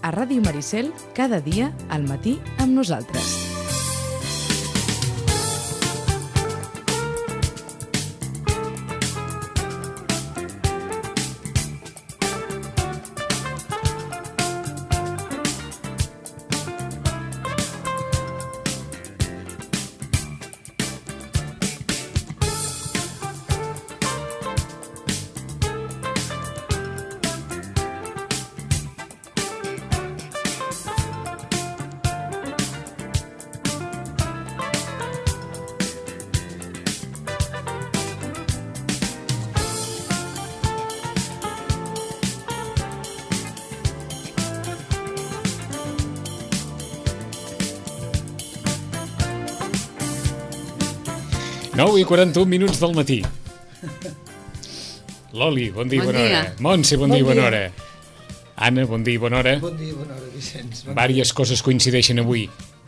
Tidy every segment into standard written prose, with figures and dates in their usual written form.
a Ràdio Maricel, cada dia al matí amb nosaltres. Nou i 41 minuts del matí. Loli, bon dia i bona hora. Montse, bon dia i bona hora. Anna, bon dia i bona hora. Bon dia i bona hora, Vicenç. Vàries coses coincideixen avui.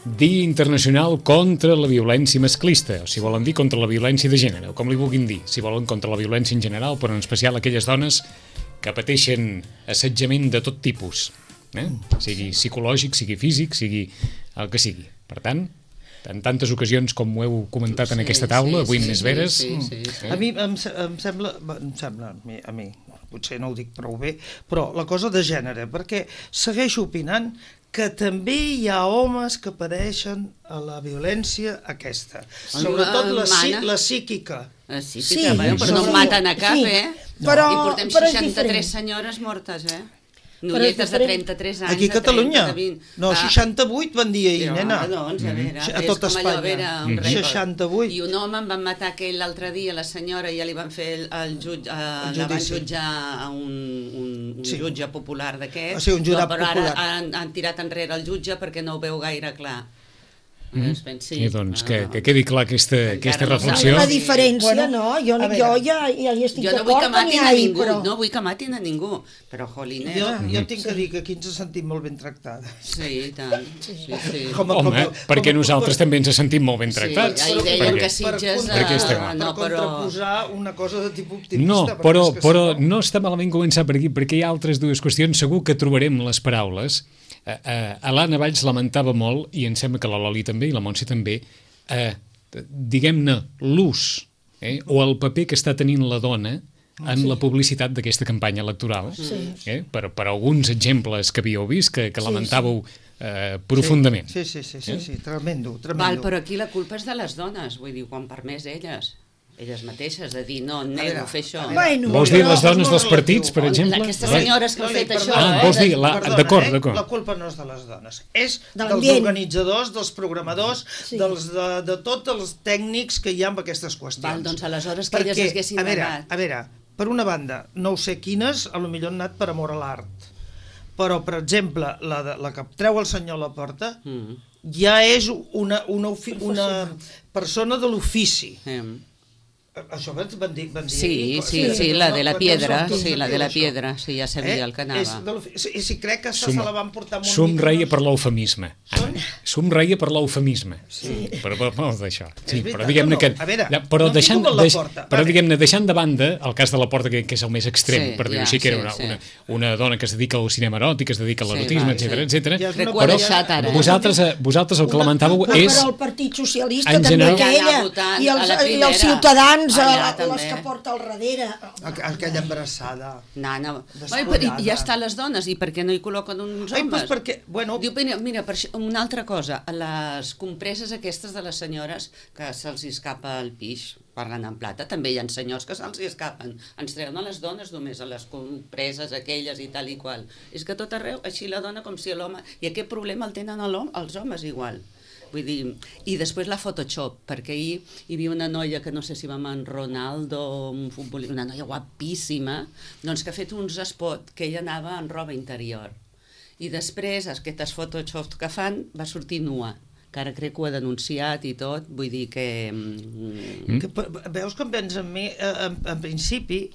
Dia Internacional contra la Violència Masclista, o si volen dir contra la violència de gènere, o com li vulguin dir, si volen contra la violència en general, però en especial aquelles dones que pateixen assetjament de tot tipus, sigui psicològic, sigui físic, sigui el que sigui. Per tant, en tantes ocasions com ho heu comentat en aquesta taula, avui més veres. A mi em sembla, a mi, potser no ho dic prou bé, però la cosa de gènere, perquè segueixo opinant que també hi ha homes que pateixen la violència aquesta, sobretot la psíquica. Sí, però no maten a cap, I portem 63 senyores mortes, Nolletes de 33 anys. Aquí a Catalunya? No, 68 van dir ahir, nena. Doncs, a veure, a tot Espanya. 68. I un home en van matar aquell l'altre dia, la senyora, ja li van fer el jutge, la van jutjar a un jutge popular d'aquest. Sí, un jurat popular. Però ara han tirat enrere el jutge perquè no ho veu gaire clar. I doncs que quedi clar aquesta reflexió. La diferència, no? Jo ja hi estic d'acord que n'hi ha, però... No vull que matin a ningú, però jolines... Jo tinc que dir que aquí ens sentim molt ben tractades. Sí, i tant. Home, perquè nosaltres també ens sentim molt ben tractats. Sí, deien que Sitges... Per contraposar una cosa de tipus optimista. No, però no està malament començar per aquí, perquè hi ha altres dues qüestions, segur que trobarem les paraules. L'Anna Valls lamentava molt, i em sembla que la Loli també i la Montse també, diguem-ne, l'ús o el paper que està tenint la dona en la publicitat d'aquesta campanya electoral. Per alguns exemples que havíeu vist, que lamentàveu profundament. Sí, tremendo. Val, però aquí la culpa és de les dones, vull dir, quan permès elles mateixes, de dir, no, nego a fer això. Vols dir les dones dels partits, per exemple? Aquestes senyores que han fet això. Vols dir, d'acord. La culpa no és de les dones, és dels organitzadors, dels programadors, de tots els tècnics que hi ha amb aquestes qüestions. Val, doncs aleshores que elles haguessin negat. A veure, per una banda, no ho sé quines, potser han anat per amor a l'art, però, per exemple, la que treu el senyor a la porta ja és una persona de l'ofici. Això van dir... Sí, la de la piedra, sí, ja sabia el que anava. I si crec que se la van portar molt... Somreia per l'eufemisme. Somreia per l'eufemisme. Però d'això. Però diguem-ne que... Però deixant de banda el cas de la Porta, que és el més extrem, per dir-ho així, que era una dona que es dedica al cinema eròtic, que es dedica a l'erotisme, etc. Però vosaltres el que lamentàveu és... Però el Partit Socialista també, ella, i els ciutadans, les que porta al darrere. Aquella embarassada. Ja està les dones, i per què no hi col·loquen uns homes? Diu, mira, una altra cosa, les compreses aquestes de les senyores que se'ls escapa el pix, parlant en plata, també hi ha senyors que se'ls escapen, ens treuen a les dones només, a les compreses aquelles i tal i qual. És que tot arreu, així la dona com si l'home... I aquest problema el tenen els homes igual. Vull dir, i després la Photoshop, perquè ahir hi havia una noia que no sé si va amb en Ronaldo, una noia guapíssima, doncs que ha fet uns spots que ella anava en roba interior. I després, aquestes Photoshop que fan, va sortir nua, que ara crec que ho ha denunciat i tot, vull dir que... Veus que em pensa en mi, en principi,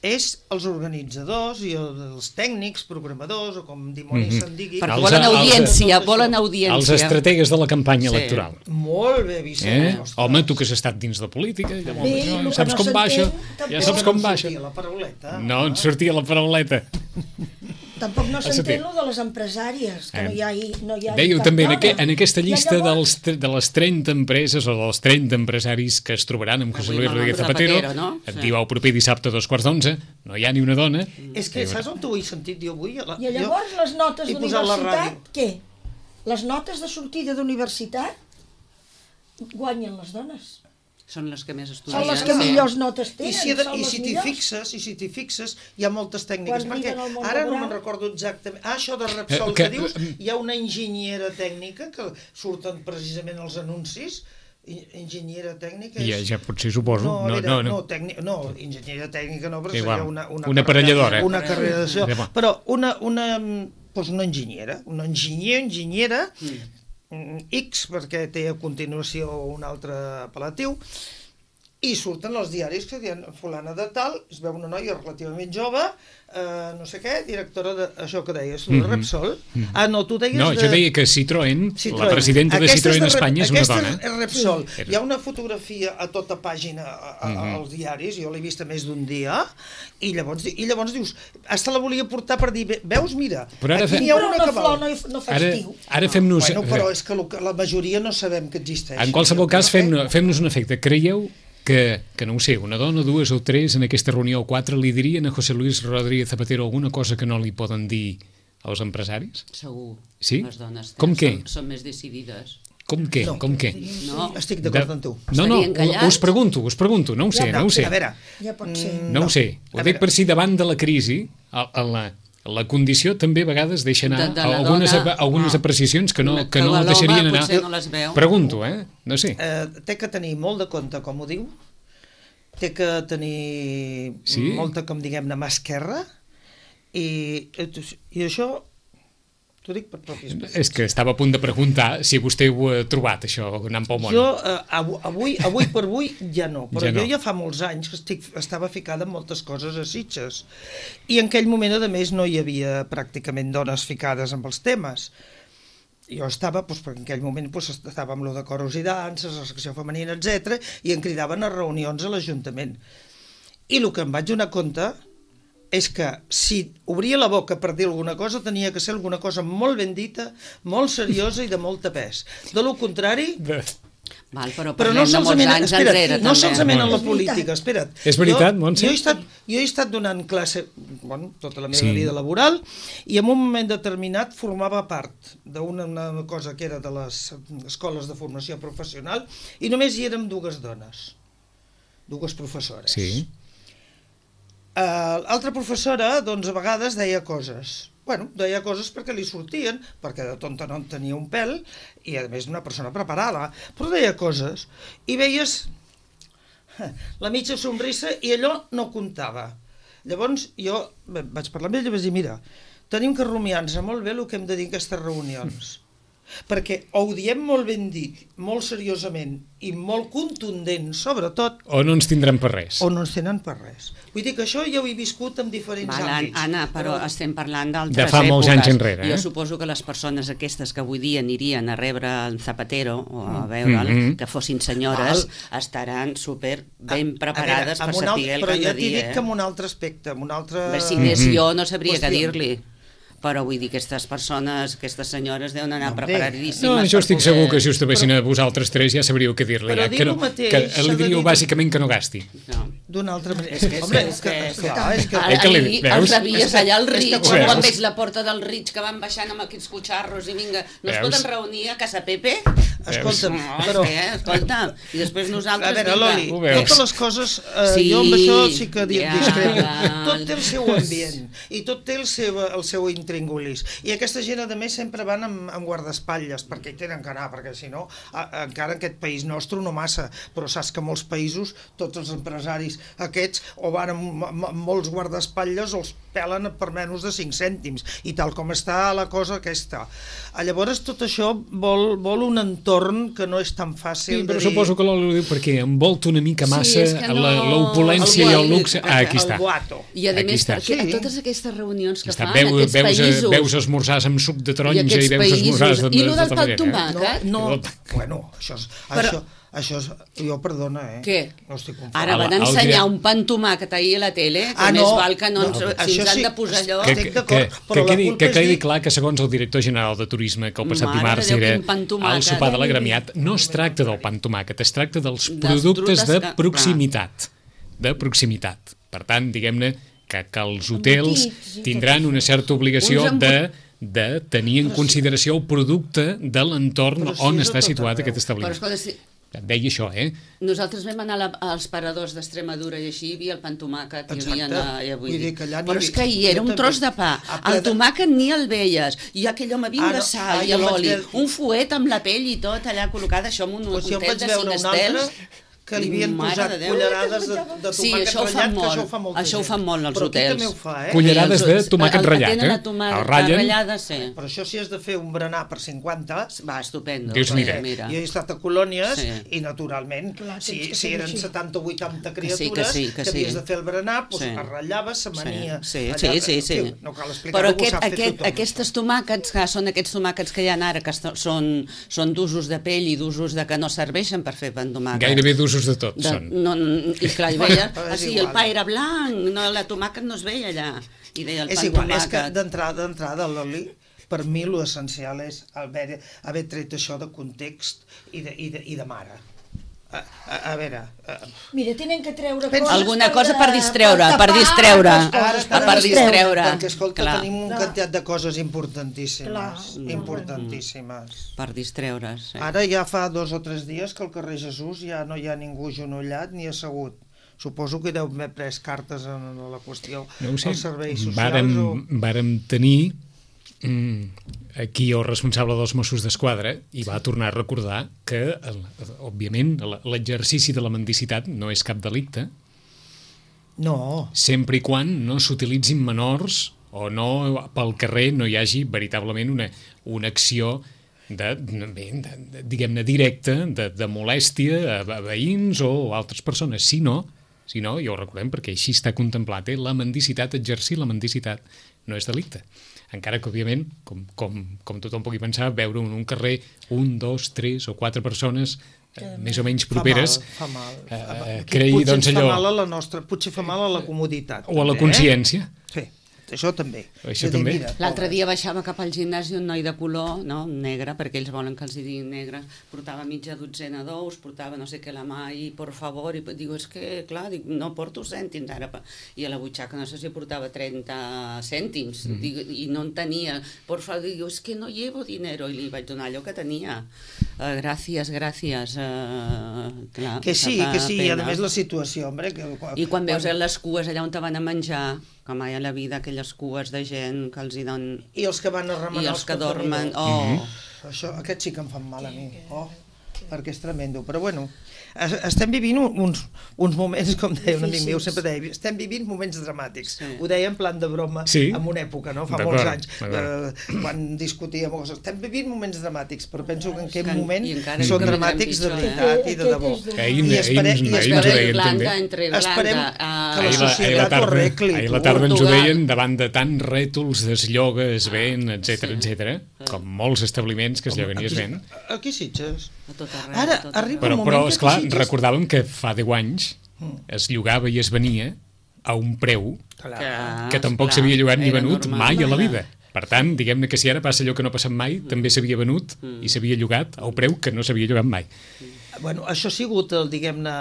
és els organitzadors i els tècnics, programadors, o com dimonis se'n digui. Perquè volen audiència. Els estrategues de la campanya electoral. Molt bé, Vicenç. Home, tu que has estat dins de política, ja saps com va això. Ja saps com va això. No sortia la parauleta. No en sortia la parauleta. Tampoc no s'entén de les empresàries, que no hi ha Dèieu també, en aquesta llista de les 30 empreses o dels 30 empresaris que es trobaran amb José Luis Rodríguez Zapatero, et diu el proper dissabte a 2:15, no hi ha ni una dona. És que saps on t'ho he sentit jo avui? I llavors les notes d'universitat, què? Les notes de sortida d'universitat guanyen les dones. Són les que més estudien. Són les que millors notes tenen. I si t'hi fixes, hi ha moltes tècniques. Perquè ara no me'n recordo exactament. Això de Repsol que dius, hi ha una enginyera tècnica que surten precisament els anuncis. Enginyera tècnica és... Ja potser suposo. No, enginyera tècnica no, però seria una aparelladora. Una carrera d'això. Però una enginyera X, perquè té a continuació un altre apel·latiu, i surten els diaris que diuen fulana de tal, es veu una noia relativament jove, no sé què, directora d'això que deies, de Repsol. No, tu deies... No, jo deia que Citroën, la presidenta de Citroën Espanya és una dona. Aquesta és Repsol. Hi ha una fotografia a tota pàgina als diaris, jo l'he vista més d'un dia, i llavors dius, hasta la volia portar per dir, veus, mira, aquí n'hi ha una que val. No fa estiu. Ara fem-nos... Bueno, però és que la majoria no sabem que existeix. En qualsevol cas, fem-nos un efecte. Creieu que no ho sé, una dona, dues o tres en aquesta reunió o quatre li dirien a José Luis Rodríguez Zapatero alguna cosa que no li poden dir als empresaris? Segur. Sí? Les dones són més decidides. Com què? No, estic d'acord amb tu. No, us pregunto, no ho sé. A veure, ja pot ser. No ho sé, ho dic per si davant de la crisi, la condició també a vegades deixa anar algunes apreciacions que no deixarien anar. Pregunto, no sé. Té que tenir molt de compte, com ho diu, té que tenir molta, com diguem-ne, mà esquerra, i això t'ho dic per propis experiències. És que estava a punt de preguntar si vostè ho ha trobat, això, anant pel món. Jo, avui per avui, ja no. Però jo ja fa molts anys que estava ficada en moltes coses a Sitges. I en aquell moment, a més, no hi havia pràcticament dones ficades amb els temes. Jo estava, perquè en aquell moment estava amb lo de coros i danses, la secció femenina, etc, i em cridaven a reunions a l'Ajuntament. I el que em vaig donar compte és que si obria la boca per dir alguna cosa, tenia que ser alguna cosa molt ben dita, molt seriosa i de molta pes. De lo contrari... Però no solament en la política, espera't. És veritat, Montse? Jo he estat donant classe tota la meva vida laboral i en un moment determinat formava part d'una cosa que era de les escoles de formació professional i només hi érem dues dones, dues professores. Sí. L'altra professora, doncs, a vegades deia coses. Deia coses perquè li sortien, perquè de tonta no en tenia un pèl, i a més una persona preparada, però deia coses. I veies la mitja somrissa i allò no comptava. Llavors jo vaig parlar amb ell i vaig dir, mira, tenim que rumiar-nos molt bé el que hem de dir en aquestes reunions. Perquè o ho diem molt ben dit, molt seriosament i molt contundent, sobretot... O no ens tindran per res. O no ens tenen per res. Vull dir que això ja ho he viscut en diferents àmbits. Anna, però estem parlant d'altres èpoques. De fa molts anys enrere. Jo suposo que les persones aquestes que avui dia anirien a rebre el Zapatero o a veure'l, que fossin senyores, estaran super ben preparades per saber el que han de dir. Però ja t'he dit que en un altre aspecte, en un altre... Si anés jo no sabria què dir-li. Però vull dir, aquestes persones, aquestes senyores deuen anar preparadíssimes. No, jo estic segur que si us trobessin a vosaltres tres ja sabríeu què dir-li. Però dir-ho mateix... Que li diríeu bàsicament que no gasti. D'una altra manera. Ahir els revies allà al Ritx, quan veig la porta del Ritx que van baixant amb aquests cotxarros i vinga, no es poden reunir a Casa Pepe? Escolta'm, escolta, i després nosaltres... A veure, Loli, totes les coses, jo amb això sí que discrepo. Tot té el seu ambient i tot té el seu intríngulis. I aquesta gent, a més, sempre van amb guardaespatlles, perquè hi tenen que anar, perquè si no, encara en aquest país nostre no massa, però saps que molts països, tots els empresaris aquests, o van amb molts guardaespatlles o els pelen per menys de 5 cèntims, i tal com està la cosa aquesta. Llavors, tot això vol un entorn que no és tan fàcil de dir... Però suposo que l'Oli ho diu perquè envolta una mica massa l'opulència i el luxe. Aquí està. I a més, perquè a totes aquestes reunions que fan aquests països... Veus esmorzars amb suc de taronja i veus esmorzars de i el del pa amb tomàquet? No, bueno, això... Això és... Jo, perdona, Què? No estic confós. Ara van ensenyar un pa amb tomàquet ahir a la tele, que més val que no ens han de posar allò... Estic d'acord, però la culpa que quedi clar que segons el director general de Turisme, que el passat dimarts era al sopar de l'agremiat, no es tracta del pa amb tomàquet, es tracta dels productes de proximitat. De proximitat. Per tant, diguem-ne que els hotels tindran una certa obligació de tenir en consideració el producte de l'entorn on està situat aquest establiment. Però escolta, Et deia això, Nosaltres vam anar als paradors d'Extremadura i així hi havia el pa amb tomàquet. Però és que hi era un tros de pa. El tomàquet ni el veies. I aquell home vinga de sal i l'oli. Un fuet amb la pell i tot allà col·locat, això en un hotel de 5 estels. Que li havien posat cullerades de tomàquet ratllat, que això ho fa molt. Això ho fan molt als hotels. Però aquí també ho fa, Cullerades de tomàquet ratllat, el ratllen. Però això si has de fer un berenar per 50... Va, estupendo. Dius, mira. Jo he estat a colònies i, naturalment, si eren 70 o 80 criatures que havies de fer el berenar, es ratllava, s'amania... Sí. No cal explicar-ho, ho sap fer tothom. Aquests tomàquets, que són aquests tomàquets que hi ha ara, que són d'usos de pell i d'usos que no serveixen per fer pa amb tomàquet. Gairebé d'usos de tot són. I clar, hi veia, el pa era blanc, la tomàquet no es veia allà. I deia el pa amb tomàquet. És igual, és que d'entrada l'oli, per mi l'essencial és haver tret això de context i de mare. A veure... Mira, tenen que treure coses... Alguna cosa per distreure. Perquè, escolta, tenim un quantitat de coses importantíssimes. Per distreure's. Ara ja fa 2 o 3 dies que al carrer Jesús ja no hi ha ningú genollat ni assegut. Suposo que deu haver pres cartes en la qüestió dels serveis socials. Vàrem tenir aquí el responsable dels Mossos d'Esquadra i va tornar a recordar que, òbviament, l'exercici de la mendicitat no és cap delicte. No. Sempre i quan no s'utilitzin menors o no pel carrer no hi hagi veritablement una acció diguem-ne directa de molèstia a veïns o altres persones. Si no, ja ho recordem perquè així està contemplat, la mendicitat, exercir la mendicitat no és delicte. Encara que, òbviament, com tothom pugui pensar, veure en un carrer 1, 2, 3 o 4 persones més o menys properes fa mal. Creï, doncs, allò... Potser fa mal a la comoditat. O a la consciència. Sí. Això també. L'altre dia baixava cap al gimnàs un noi de color, negre, perquè ells volen que els diguin negre, portava mitja dotzena d'ous, portava no sé què a la mà i, por favor, i digo, és que, clar, no porto cèntims ara, i a la butxaca no sé si portava 30 cèntims, i no en tenia, por favor, digo, és que no llevo dinero, i li vaig donar allò que tenia. Gràcies. Que sí, i a més la situació, hombre... I quan veus les cues allà on te van a menjar, que mai a la vida aquelles cues de gent que els hi donen... I els que van a remenar els que dormen. Aquests sí que em fan mal a mi. Perquè és tremendo. Però bueno, estem vivint uns moments, com deia un amic meu, sempre deia, estem vivint moments dramàtics. Ho deia en plan de broma en una època, fa molts anys, quan discutíem coses. Estem vivint moments dramàtics, però penso que en aquest moment són dramàtics de veritat i de debò. Esperem que la societat ho arregli. Ahir a la tarda ens ho deien davant de tants rètols d'eslloga, es ven, etc, com molts establiments que es lloguen i es ven. Aquí Sitges. Ara arriba un moment però esclar, recordàvem que fa 10 anys es llogava i es venia a un preu que tampoc s'havia llogat ni venut mai a la vida. Per tant, diguem-ne que si ara passa allò que no ha passat mai, també s'havia venut i s'havia llogat a un preu que no s'havia llogat mai. Bueno, això ha sigut, diguem-ne,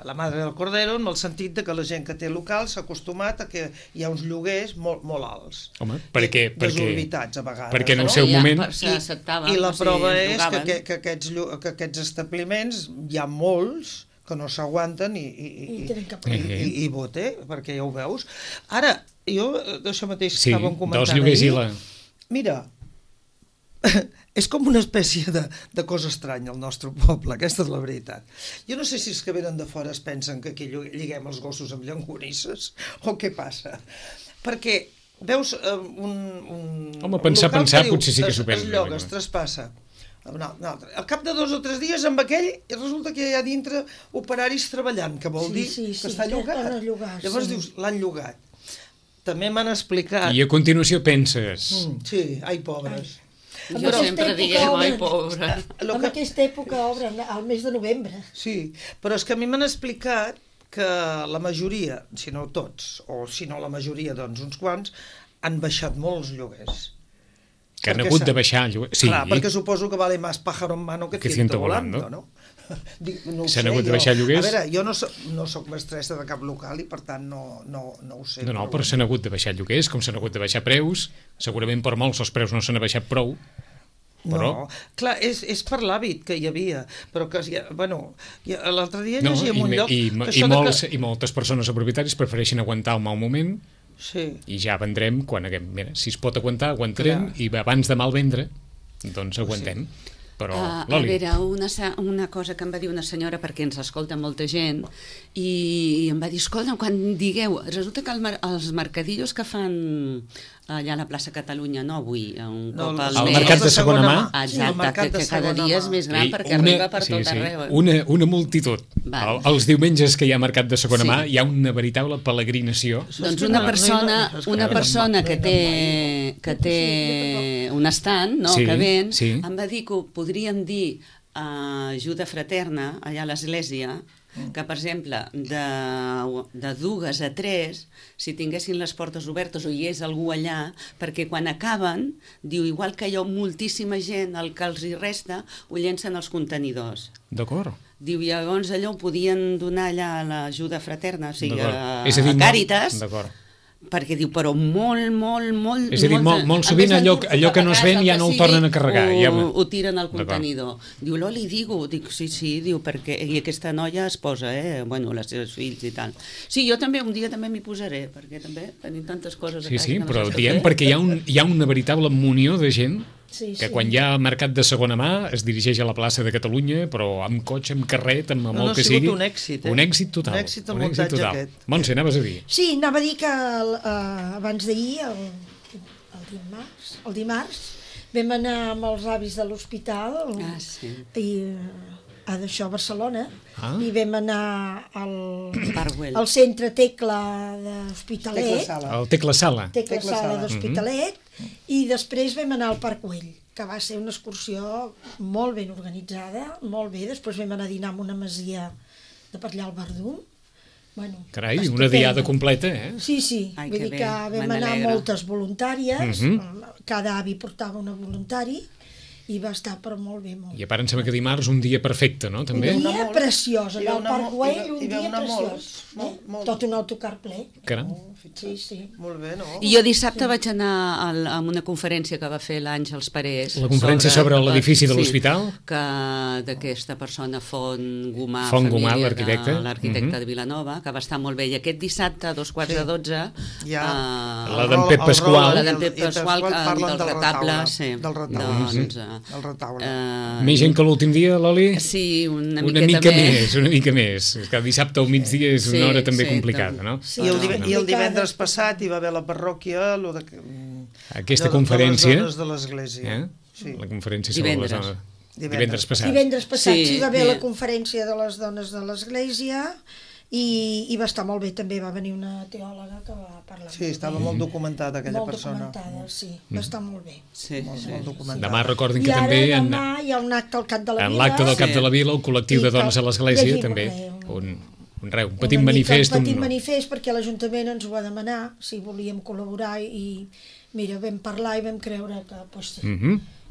la madre del cordero, en el sentit de que la gent que té local s'ha acostumat a que hi ha uns lloguers molt alts. Home, perquè desorbitats a vegades. Perquè en el seu moment... I la prova és que aquests establiments hi ha molts que no s'aguanten i vote, perquè ja ho veus. Ara, jo d'això mateix estàvem comentant dels lloguers i la... Mira, és com una espècie de cosa estranya al nostre poble, aquesta és la veritat. Jo no sé si els que venen de fora es pensen que aquí lliguem els gossos amb llonganisses o què passa. Perquè veus Home, pensar, potser sí que s'ho pensa. Es lloga, es traspassa. Al cap de 2 o 3 dies amb aquell resulta que hi ha dintre operaris treballant, que vol dir que està llogat. Llavors dius, l'han llogat. També m'han explicat... I a continuació penses... Sí, ai, pobres. Jo sempre diguem, ai, pobra. En aquesta època obren, al mes de novembre. Sí, però és que a mi m'han explicat que la majoria, si no tots, o si no la majoria, doncs uns quants, han baixat molt els lloguers. Que han hagut de baixar el lloguer. Sí. Clar, perquè suposo que vale más pájaro en mano que ciento volando, no? No s'han hagut de baixar lloguers? A veure, jo no soc mestressa de cap local i per tant no ho sé. No, però s'han hagut de baixar lloguers, com s'han hagut de baixar preus, segurament per molts els preus no s'han baixat prou, però... No, clar, és per l'hàbit que hi havia, però que, bueno, l'altre dia llegia en un lloc... I moltes persones o propietaris prefereixen aguantar un mal moment i ja vendrem quan haguem... Mira, si es pot aguantar, aguantarem, i abans de mal vendre, doncs aguantem. Però, a veure, una cosa que em va dir una senyora, perquè ens escolta molta gent, i em va dir, escolta, quan digueu, resulta que els mercadillos que fan allà a la plaça Catalunya, no avui, un cop al mes... El mercat de segona mà? Exacte, que cada dia és més gran perquè arriba per tot arreu. Una multitud. Els diumenges que hi ha mercat de segona mà hi ha una veritable peregrinació. Doncs una persona que té un estand, que ven, em va dir que ho podríem dir ajuda fraterna allà a l'església, que, per exemple, de 2 a 3, si tinguessin les portes obertes o hi és algú allà, perquè quan acaben, diu, igual que hi ha moltíssima gent, el que els hi resta, ho llencen als contenidors. D'acord. Diu, llavors allò ho podien donar allà a l'ajuda fraterna, o sigui, a Càritas. D'acord. Perquè diu, però molt... És a dir, molt sovint allò que no es ven ja no ho tornen a carregar. Ho tiren al contenidor. Diu, Loli, dic, sí, diu, perquè... I aquesta noia es posa, bueno, les seves fills i tal. Sí, jo també, un dia també m'hi posaré, perquè també tenim tantes coses a casa. Sí, però diem perquè hi ha una veritable munió de gent que quan hi ha mercat de segona mà es dirigeix a la plaça de Catalunya, però amb cotxe, amb carret, amb el que sigui. Un èxit, Un èxit total. Un èxit el muntatge aquest. Montse, anaves a dir? Sí, anava a dir que abans d'ahir, el dimarts, vam anar amb els avis de l'hospital d'això a Barcelona i vam anar al centre Tecla d'Hospitalet, el Tecla Sala d'Hospitalet, i després vam anar al Parc Güell, que va ser una excursió molt ben organitzada, molt bé. Després vam anar a dinar en una masia de per allà al Verdum. Carai, una diada completa, eh? Sí, vull dir que vam anar moltes voluntàries, cada avi portava una voluntari, i va estar però molt bé. I a part em sembla que dimarts un dia perfecte, no? També? Un dia preciós, allà al Parc Güell, un dia preciós. Tot un autocar ple. Caram. Sí. Molt bé, no? I jo dissabte vaig anar a una conferència que va fer l'Àngels Parés. La conferència sobre l'edifici de l'hospital? D'aquesta persona, Font Gomà, l'arquitecte de Vilanova, que va estar molt bé. I aquest dissabte, a 11:45, la d'en Pep Pasqual, del retable, el retaule. Més gent que l'últim dia, Loli? Sí, una mica més. Que dissabte al migdia és una hora també complicada, no? I el divendres passat hi va haver la parròquia aquesta conferència de les dones de l'església. La conferència sobre les dones. Divendres passat. Divendres passat hi va haver la conferència de les dones de l'església i va estar molt bé. També va venir una teòloga que va parlar. Sí, estava molt documentada aquella persona. Molt documentada, sí. Va estar molt bé. Molt documentada. Demà recordin que també hi ha un acte al Cap de la Vila. En l'acte del Cap de la Vila, el col·lectiu de dones a l'església també. Un petit manifest. Un petit manifest perquè l'Ajuntament ens ho va demanar, si volíem col·laborar, i mira, vam parlar i vam creure que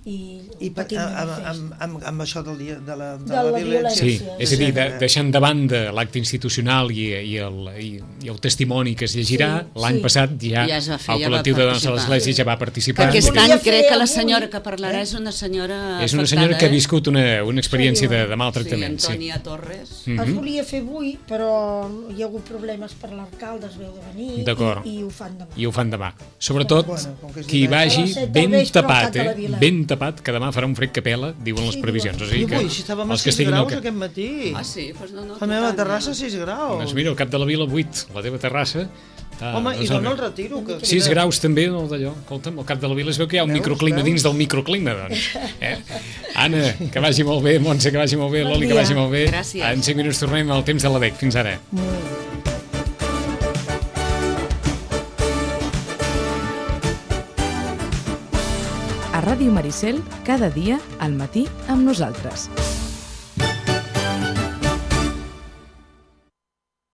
i amb això del dia de la violència. Sí, és a dir, deixant de banda l'acte institucional i el testimoni que es llegirà, l'any passat ja el col·lectiu de dones a l'església ja va participar. Perquè aquest any crec que la senyora que parlarà és una senyora afectada. És una senyora que ha viscut una experiència de maltractament. Sí, Antònia Torres. Es volia fer avui, però hi ha hagut problemes per l'alcalde, es veu de venir, i ho fan demà. I ho fan demà. Sobretot, qui vagi ben tapat, que demà farà un fred que pela, diuen les previsions. I avui, si estàvem a 6 graus aquest matí. Ah, sí? La meva terrassa 6 graus. Doncs mira, al Cap de la Vila 8, la teva terrassa. Home, i d'on el retiro? 6 graus també, d'allò. Escolta'm, al Cap de la Vila es veu que hi ha un microclima dins del microclima, doncs. Anna, que vagi molt bé, Montse, que vagi molt bé, Loli, que vagi molt bé. Gràcies. En 5 minuts tornem al temps de l'ADEC. Fins ara. A Ràdio Maricel, cada dia al matí amb nosaltres.